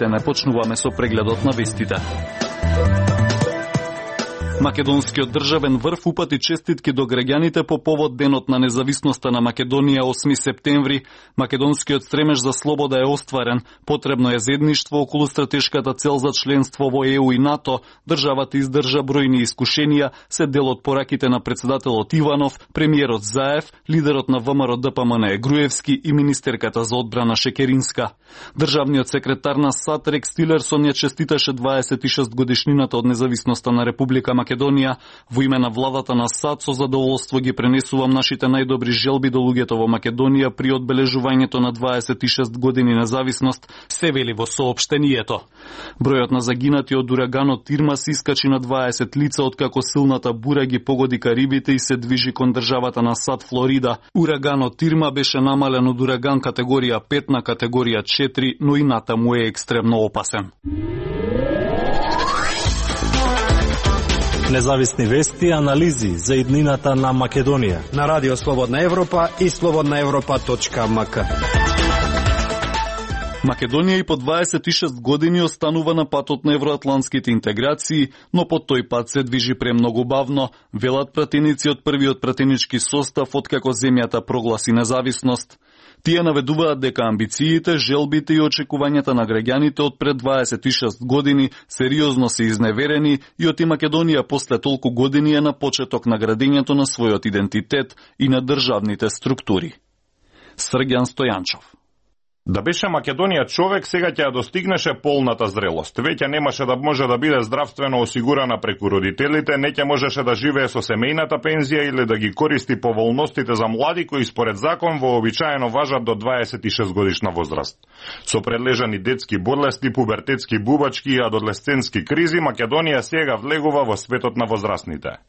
Слушнете, не почнуваме со прегледот на вестите. Македонскиот државен врв упати честитки до граѓаните по повод денот на независноста на Македонија 8 септември. Македонскиот стремеж за слобода е остварен. Потребно е заедништво околу стратешката цел за членство во ЕУ и НАТО. Државата издржа бројни искушенија, се дел од пораките на председателот Иванов, премиерот Заев, лидерот на ВМРО ДПМН Груевски и министерката за одбрана Шекеринска. Државниот секретар на САД Рекс Тилерсон ја честиташе 26 годишнината од независноста на Република Македонија. Во име на владата на САД со задоволство ги пренесувам нашите најдобри желби до луѓето во Македонија при одбележувањето на 26 години независност, се вели во соопштението. Бројот на загинати од ураганот Ирма се искачи на 20 лица откако силната бура ги погоди Карибите и се движи кон државата на САД Флорида. Ураганот Ирма беше намален од ураган категорија 5 на категорија 4, но и натаму е екстремно опасен. Независни вести и анализи за иднината на Македонија на Радио Слободна Европа и slobodnaevropa.mk. Македонија и по 26 години останува на патот на евроатлантските интеграции, но по тој пат се движи премногу бавно, велат пратеници од првиот пратенички состав откако земјата прогласи независност. Тие наведуваат дека амбициите, желбите и очекувањата на граѓаните од пред 26 години сериозно се изневерени и оти Македонија после толку години е на почеток на градењето на својот идентитет и на државните структури. Срѓан Стојанчов. Да беше Македонија човек, сега ќе ја достигнеше полната зрелост. Веќе немаше да може да биде здравствено осигурана преку родителите, не ќе можеше да живее со семејната пензија или да ги користи поволностите за млади кои според закон вообичаено важат до 26 годишна возраст. Со предлежани детски болести, пубертетски бубачки и адолесцентски кризи, Македонија сега влегува во светот на возрастните.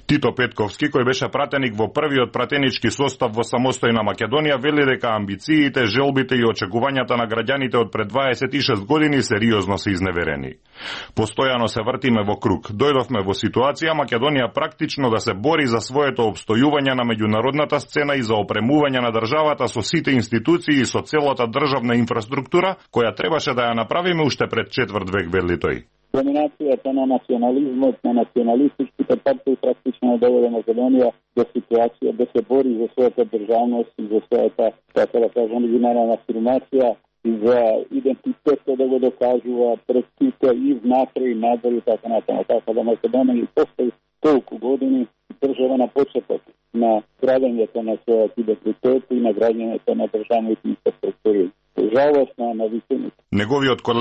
Тито Петковски, кој беше пратеник во првиот пратенички состав во самостојна Македонија, вели дека амбициите, желбите и очекувањата на граѓаните од пред 26 години сериозно се изневерени. Постојано се вртиме во круг. Дојдовме во ситуација Македонија практично да се бори за своето обстојување на меѓународната сцена и за опремување на државата со сите институции и со целата државна инфраструктура, која требаше да ја направиме уште пред четврт век, вели тој. Доминацијата на национализмот, на националистичките партии практично доведе Македонија до ситуација да се бори за својата државност и за својата, така да кажам, меѓународна афирмација и за идентитетот да го докажува пред сите и внатре и надвор и така натаму. Така да Македонија и после толку години држава на почеток на градењето на својот идентитет и на градењето на државните инфраструктури. Жалост на вистината. Неговиот колега